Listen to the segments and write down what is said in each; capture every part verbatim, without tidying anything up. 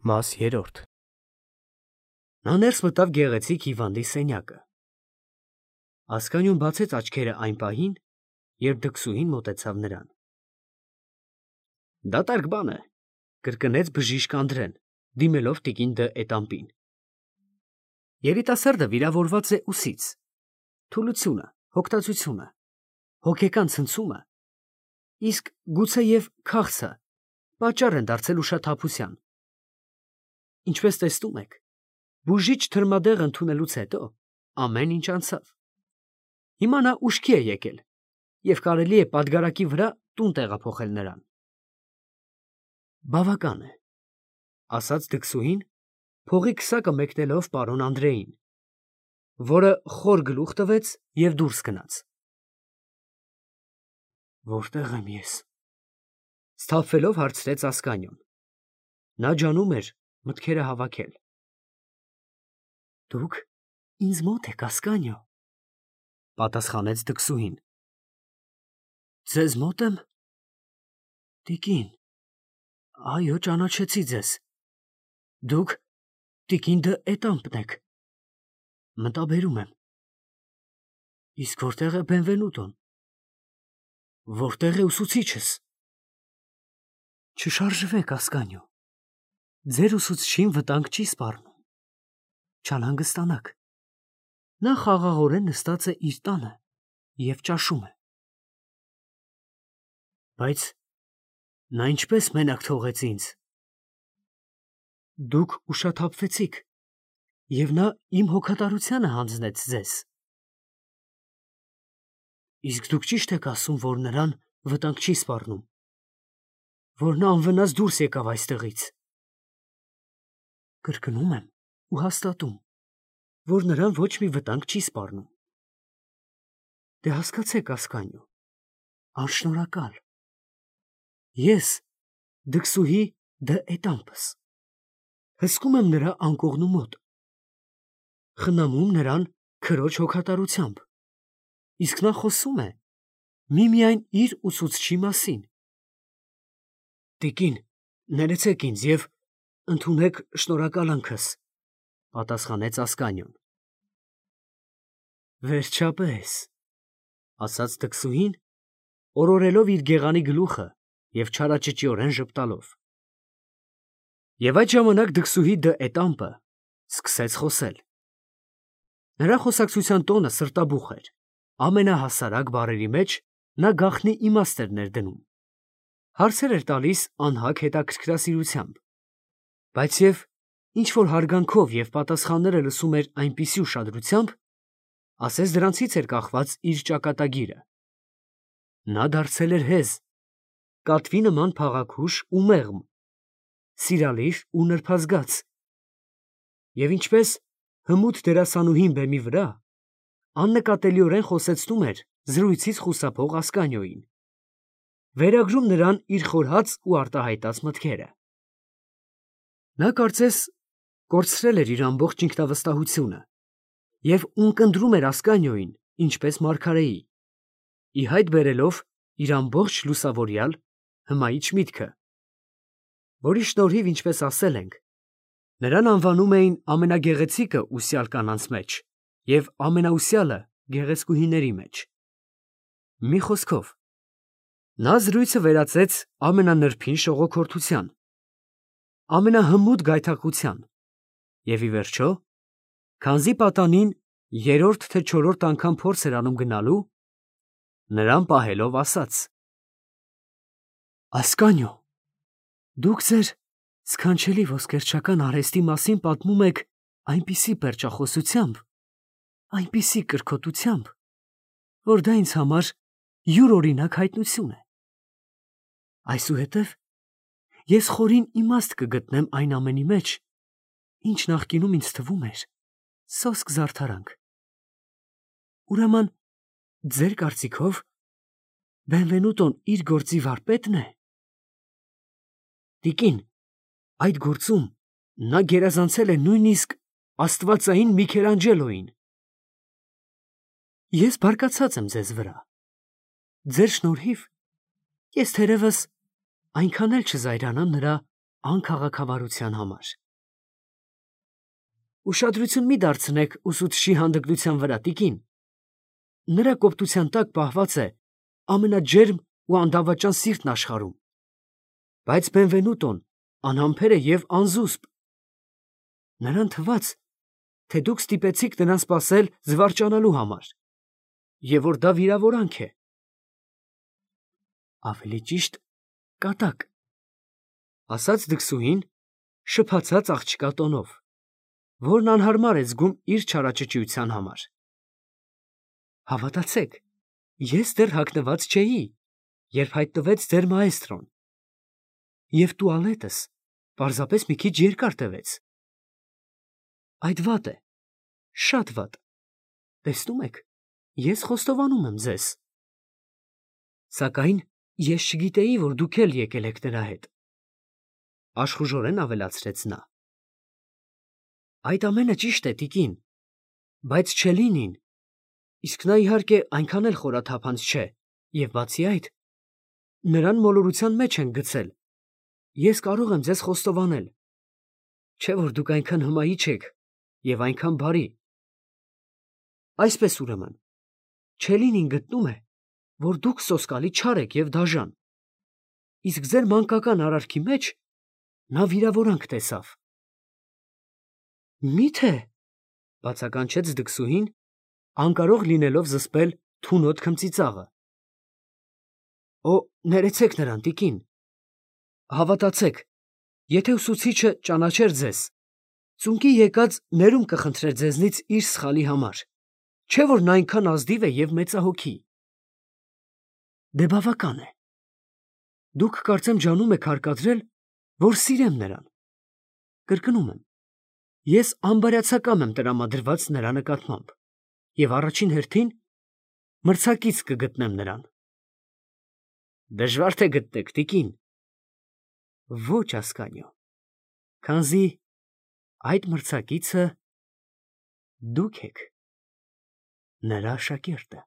Մաս երրորդ Նա ներս մտավ գեղեցիկ հիվանդի սենյակը։ Ասկանյոն բացեց աչքերը այն պահին, երբ դքսուհին մոտեցավ նրան։ Դատարկ բան է, կրկնեց բժիշկ Անդրեն, դիմելով տիկին Դ. Էտամպին։ Երիտասարդը վիրավորված է ուսից, թուլությունը, հոգտածությունը, հոգեկան ցնցումը, իսկ գուցեև քաղցը պատճառ են դարձել ուշաթափության։ Ինչպես տեսնում եք, բուժիչ թրմադեղ ընդունելուց հետո ամեն ինչ անցավ։ Հիմա նա ուշքի է եկել և կարելի է պատգարակի վրա տուն տեղափոխել նրան։ Բավական է, ասաց դքսուհին, փողի քսակը մեկնելով պարոն Անդրեին, որը խոր գլուխ տվեց և դուրս գնաց։ Որտե՞ղ եմ ես, սթափվելով հարցրեց Ասկանյոն։ Նա ջանում էր մտքերը հավաքել։ Դուք ինձ մոտ եք, Ասկանյո, պատասխանեց դքսուհին։ Ձեզ մոտ եմ։ Տիկին, այո, ճանաչեցի ձեզ։ Դուք տիկին Դ. Էտամպն եք։ Մտաբերում եմ։ Իսկ որտեղ է Բենվենուտոն։ Որտեղ է ուսուցիչս։ Չշարժվեք, Ասկանյո, ձեր ուսուցչին վտանգ չի սպառնում, չանհանգստանաք։ Նա խաղաղորեն նստած է իր տանը և ճաշում է։ Բայց նա ինչպես մենակ թողեց ինձ։ Դուք ուշաթափվեցիք, և նա իմ հոգատարությանը հանձնեց ձեզ։ Իսկ դուք ճիշտ եք ասում, որ նրան վտանգ չի սպառնում, որ նա անվնաս դուրս եկավ այստեղից։ Կրկնում եմ ու հաստատում, որ նրան ոչ մի վտանգ չի սպառնում։ Դե հասկացեք, Ասկանյո, անշնորհակալ։ Ես դքսուհի Դ. Էտամպս հսկում եմ նրա անկողնու մոտ, խնամում նրան քրոջ հոգատարությամբ, իսկ նա խոսում է միմիայն իր ուսուցչի մասին։ Տիկին, ներեցեք ինձ և ընդունեք շնորհակալանքս, պատասխանեց Ասկանյոն։ Վերջապես, ասաց դքսուհին, օրորելով իր գեղանի գլուխը և չարաճճիորեն ժպտալով։ Եվ այդ ժամանակ դքսուհի Դ. Էտամպը սկսեց խոսել։ Նրա խոսակցության տոնը սրտաբուխ էր, ամենահասարակ բառերի մեջ նա գաղտնի իմաստ էր ներդնում, հարցեր էր տալիս անհագ հետաքրքրասիրությամբ, բայց և ինչ֊որ հարգանքով և պատասխանները լսում էր այնպիսի ուշադրությամբ, ասես դրանցից էր կախված իր ճակատագիրը։ Նա դարձել էր հեզ, կատվի նման փաղաքուշ ու մեղմ, սիրալիր ու նրբազգաց, և ինչպես հմուտ դերասանուհին բեմի վրա, աննկատելիորեն խոսեցնում էր զրույցից խուսափող Ասկանյոյին, վերագրում նրան իր խորհած ու արտահայտած մտքերը։ Նա կարծես կորցրել էր իր ամբողջ ինքնավստահությունը և ունկնդրում էր Ասկանյոյին, ինչպես մարգարեի, ի հայտ բերելով իր ամբողջ լուսավորյալ հմայիչ միտքը, որի շնորհիվ, ինչպես ասել ենք, նրան անվանում էին ամենագեղեցիկը ուսյալ կանանց մեջ և ամենաուսյալը գեղեցկուհիների մեջ։ Մի խոսքով, նա զրույցը վերածեց ամենանրբին շողոքորթության, ամենահմուտ գայթակղության և, ի վերջո, քանզի պատանին երրորդ թե չորրորդ անգամ փորձ էր անում գնալու, նրան պահելով ասաց. Ասկանյո, դուք ձեր սքանչելի ոսկերչական արհեստի մասին պատմում եք այնպիսի պերճախոսությամբ, այնպիսի կրքոտությամբ, որ դա ինձ համար յուրօրինակ հայտնություն է։ Այսուհետև ես խորին իմաստ կգտնեմ այն ամենի մեջ, ինչ նախկինում ինձ թվում էր սոսկ զարդարանք։ Ուրեմն, ձեր կարծիքով, Բենվենուտոն իր գործի վարպետ՞ն է։ Տիկին, այդ գործում նա գերազանցել է նույնիսկ աստվածային Միքելանջելոյին։ Ես բարկացած եմ ձեզ վրա։ Ձեր շնորհիվ ես թերևս այնքան էլ չզայրանամ նրա անքաղաքավարության համար։ Ուշադրություն մի դարձնեք ուսուցչի հանդգնության վրա, տիկին։ Նրա կոպտության տակ պահված է ամենաջերմ ու անդավաճան սիրտն աշխարհում։ Բայց Բենվենուտոն անհամբեր է և անզուսպ։ Նրան թվաց, թե դուք ստիպեցիք նրան սպասել զվարճանալու համար, և որ դա վիրավորանք է։ Ավելի ճիշտ, կատակ, ասաց դքսուհին շփացած աղջկա տոնով, որն անհարմար է զգում իր չարաճճիության համար։ Հավատացեք, ես դեռ հագնված չէի, երբ հայտնվեց ձեր մաեստրոն, և տուալետս պարզապես մի քիչ երկար տևեց։ Այդ վատ է, շատ վատ։ Տեսնում եք, ես խոստովանում եմ ձեզ։ Սակայն ես չգիտեի, որ դուք էլ եկել եք նրա հետ, աշխուժորեն ավելացրեց նա։ Այդ ամենը ճիշտ է, տիկին, բայց Չելինին, իսկ նա իհարկե այնքան էլ խորաթափանց չէ, և բացի այդ, նրան մոլորության մեջ են գցել, ես կարող եմ ձեզ խոստովանել, չէ՞ որ դուք այնքան հմայիչ եք և այնքան բարի։ Այսպես ուրեմն, Չելինին գտնում է, որ դուք սոսկալի չար եք և դաժան, իսկ ձեր մանկական արարքի մեջ նա վիրավորանք տեսավ։ Մի՞թե, բացականչեց դքսուհին, անկարող լինելով զսպել թունոտ քմծիծաղը։ Օ, ներեցեք նրան, տիկին։ Հավատացեք, եթե ուսուցիչը ճանաչեր ձեզ, ծունկի եկած ներում կխնդրեր ձեզնից իր սխալի համար, չէ՞ որ նա այնքան ազնիվ է և մեծահոգի։ Դե բավական է։ Դուք կարծեմ ջանում եք հարկադրել, որ սիրեմ նրան։ Կրկնում եմ, ես անբարյացակամ եմ տրամադրված նրա նկատմամբ և առաջին հերթին մրցակից կգտնեմ նրան։ Դժվար թե գտնեք, տիկին։ Ոչ, Ասկանիո, քանզի այդ մրցակիցը դուք եք, նրա աշակերտը։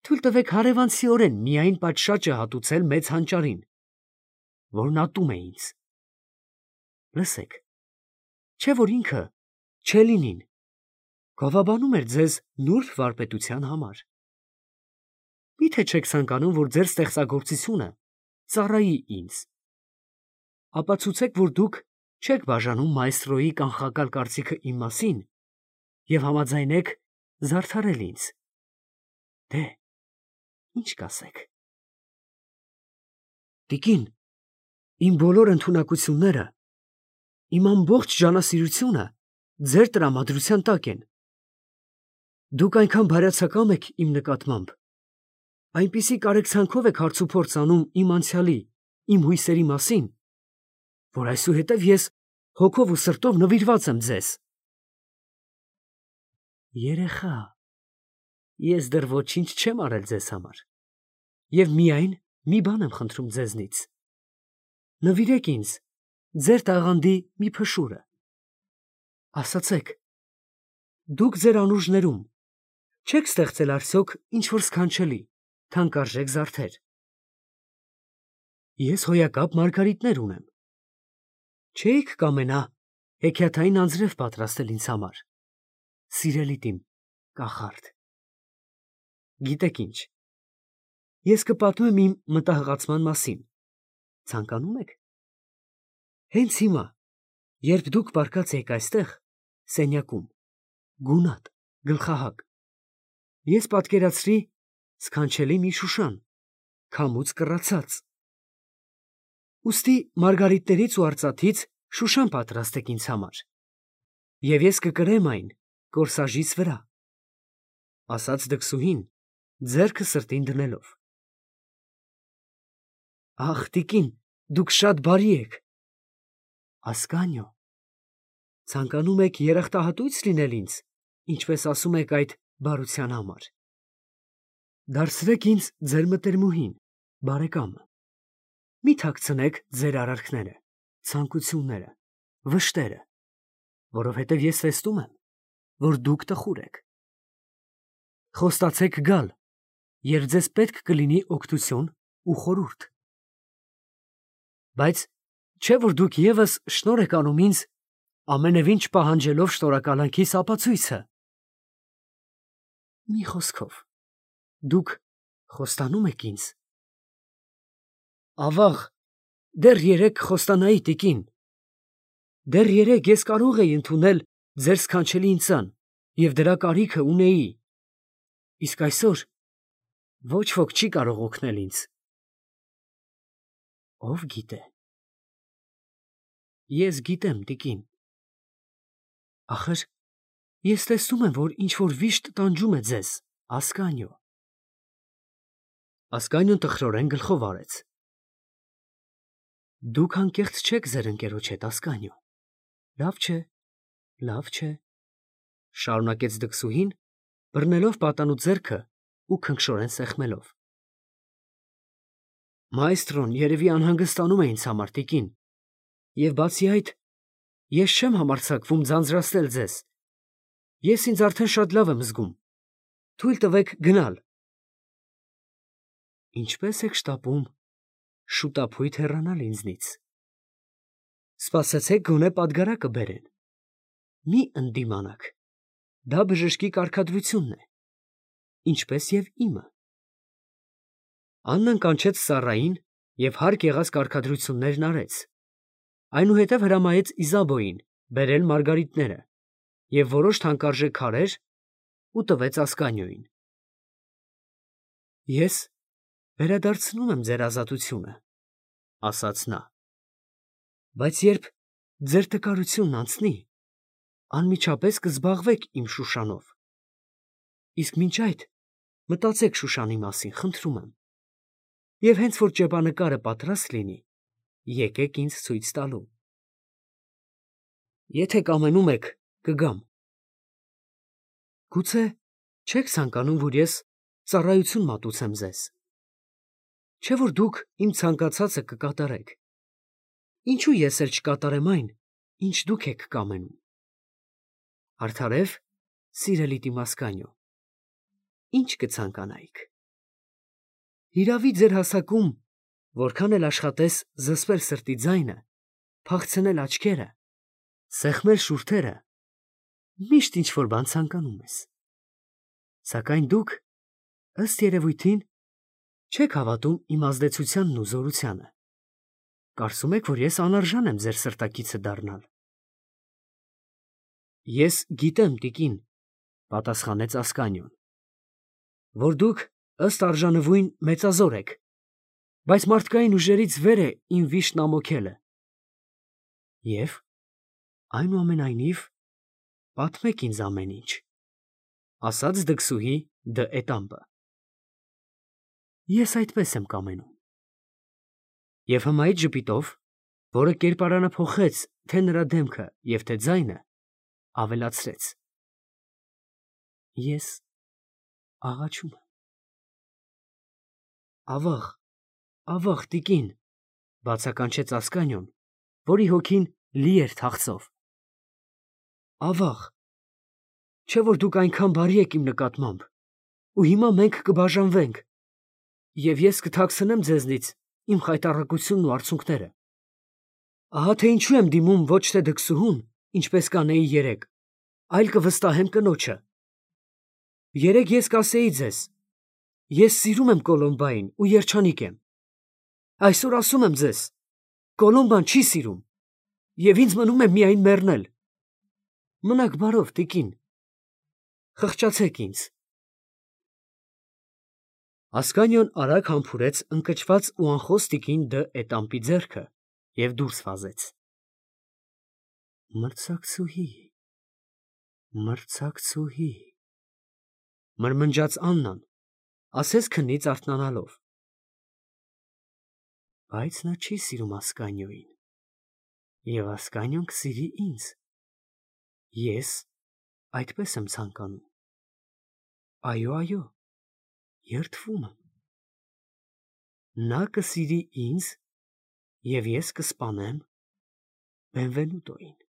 Թույլ տվեք հարևանցիորեն միայն պատշաճը հատուցել մեծ հանճարին, որն ատում է ինձ։ Լսեք, չէ՞ որ ինքը, Չելինին, գովաբանում էր ձեզ նուրբ վարպետության համար։ Մի՞թե չեք ցանկանում, որ ձեր ստեղծագործությունը ծառայի ինձ։ Ապացուցեք, որ դուք չեք բաժանում մայստրոյի կանխակալ կարծիքը իմ մասին և համաձայնեք զարդարել ինձ։ Դե, ի՞նչ կասեք։ Տիկին, իմ բոլոր ընդունակությունները, իմ ամբողջ ջանասիրությունը ձեր տրամադրության տակ են։ Դուք այնքան բարյացակամ եք իմ նկատմամբ, այնպիսի կարեկցանքով եք հարցուփորձ անում իմ անցյալի, իմ հույսերի մասին, որ այսուհետև ես հոգով ու սրտով նվիրված եմ ձեզ։ Երեխա, ես դեռ ոչինչ չեմ արել ձեզ համար և միայն մի բան եմ խնդրում ձեզնից. նվիրեք ինձ ձեր տաղանդի մի փշուրը։ Ասացեք, դուք ձեր անուրջներում չե՞ք ստեղծել արդյոք ինչ֊որ սքանչելի, թանկարժեք զարդեր։ Ես հոյակապ մարգարիտներ ունեմ։ Չէի՞ք կամենա հեքիաթային անձրև պատրաստել ինձ համար, սիրելիդ իմ կախարդ։ Գիտեք ինչ, ես կպատմեմ իմ մտահղացման մասին, ցանկանում եք։ Հենց հիմա, երբ դուք պառկած էիք այստեղ, սենյակում, գունատ, գլխահակ, ես պատկերացրի սքանչելի մի շուշան, քամուց կռացած։ Ուստի մարգարիտներից ու արծաթից շուշան պատրաստեք ինձ համար, և ես կկրեմ այն կորսաժիս վրա, ասաց դքսուհին, ձեռքը սրտին դնելով։ Ախ, տիկին, դուք շատ բարի եք։ Ասկանիո, ցանկանում եք երախտահատույց լինել ինձ, ինչպես ասում եք այդ բարության համար։ Դարձրեք ինձ ձեր մտերմուհին, բարեկամը։ Մի թաքցնեք ձեր արարքները, ցանկությունները, վշտերը, որովհետև ես տեսնում եմ, որ դուք տխուր եք։ Խոստացեք գալ, երբ ձեզ պետք կլինի օգնություն ու խորհուրդ։ Բայց Չէ՞ որ դուք եւս շնորհ եք անում ինձ, ամենևին չպահանջելով շնորհակալանքիս ապացույցը։ Մի խոսքով, դուք խոստանում եք ինձ։ Ավաղ, դեռ երեկ խոստանայի տիկին։ Դեռ երեկ ես կարող էի ընդունել ձեր սքանչելի ինձան և դրա կարիքը ունեի, իսկ այսօր ոչ ոք չի կարող օգնել ինձ։ Ո՞վ գիտե։ Ես գիտեմ, տիկին։ Ախր ես տեսնում եմ, որ ինչ-որ վիշտ տանջում է ձեզ, Ասկանիո։ Ասկանիոն տխրորեն գլխով արեց։ Դուք անկեղծ չեք ձեր ընկերոջ հետ, Ասկանիո։ Լավ չէ, լավ չէ, շարունակեց դքսուհին, բռնելով պատանու ձեռքը ու քնքշորեն սեղմելով։ Մայստրոն երևի անհանգստանում է ինձ համար, տիկին, և բացի այդ, ես չեմ համարձակվում ձանձրացնել ձեզ։ Ես ինձ արդեն շատ լավ եմ զգում։ Թույլ տվեք գնալ։ Ինչպե՞ս եք շտապում շուտափույթ հեռանալ ինձնից։ Սպասեցեք գոնե պատգարակը բերեն։ Մի ընդդիմանաք, դա բժշկի կարգադրությունն է, ինչպես և իմը։ Աննան կանչեց Սառային և հարկ եղած կարգադրություններն արեց, այնուհետև հրամայեց Իզաբոյին բերել մարգարիտները և որոշ թանկարժեք քարեր ու տվեց Ասկանիոյին։ Ես վերադարձնում եմ ձեր ազատությունը, ասաց նա, բայց երբ ձեր տկարությունն անցնի, անմիջապես կզբաղվեք իմ Շուշանով, իսկ մինչ այդ մտածեք Շուշանի մասին, խնդրում եմ, և հենց որ ճեպանկարը պատրաստ լինի, եկեք ինձ ցույց տալու։ Եթե կամենում եք, կգամ։ Գուցե չեք ցանկանում, որ ես ծառայություն մատուցեմ ձեզ, չէ՞ որ դուք իմ ցանկացածը կկատարեք։ Ինչու ես էլ չկատարեմ այն, ինչ դուք եք կամենում։ Արդարև, սիրելի Տիմասկանիո, ինչ կցանկանայիք։ Հիրավի ձեր հասակում, որքան էլ աշխատես զսպել սրտի ձայնը, փախցնել աչքերը, սեղմել շուրթերը, միշտ ինչ֊որ բան ցանկանում ես։ Սակայն դուք, ըստ երևույթին, չեք հավատում իմ ազդեցությանն ու զորությանը։ Կարծում եք, որ ես անարժան եմ ձեր սրտակիցը դառնալ։ Ես գիտեմ, տիկին, պատասխանեց Ասկանիոն, որ դուք ըստ արժանվույն մեծազոր եք, բայց մարդկային ուժերից վեր է իմ վիշտն ամոքելը։ Եվ, այնուամենայնիվ, պատմեք ինձ ամեն ինչ, ասաց դքսուհի Դը Էտամպը։ Ես այդպես եմ կամենում։ Եվ հմայիչ ժպիտով, որը կերպարանափոխեց թե նրա դեմքը և թե ձայնը, ավելացրեց. Ես աղաչում եմ։ Ավաղ, ավաղ, տիկին, բացականչեց Ասկանիոն, որի հոգին լի էր թախծով։ Ավաղ, չէ՞ որ դուք այնքան բարի եք իմ նկատմամբ, ու հիմա մենք կբաժանվենք, և ես կթաքցնեմ ձեզնից իմ խայտառակությունն ու արցունքները։ Ահա թե ինչու եմ դիմում ոչ թե դքսուհուն, ինչպես կանեի երեկ, այլ կվստահեմ կնոջը։ Երեկ ես կասեի ձեզ. ես սիրում եմ Կոլոմբային ու երջանիկ եմ։ Այսօր ասում եմ ձեզ. Կոլոմբան չի սիրում, և ինձ մնում է միայն մեռնել։ Մնաք բարով, տիկին, խղճացեք ինձ։ Ասկանիոն արագ համբուրեց ընկճված ու անխոս տիկին Դը Էտամպի ձեռքը և դուրս վազեց։ Մրցակցուհի, մրցակցուհի, մրմնջաց Աննան, ասես քնից արթնանալով։ Բայց նա չի սիրում Ասկանիոյին, և Ասկանիոն կսիրի ինձ։ Ես այդպես եմ ցանկանում։ Այո, այո, երդվում եմ։ Նա կսիրի ինձ, և ես կսպանեմ Բենվենուտոյին։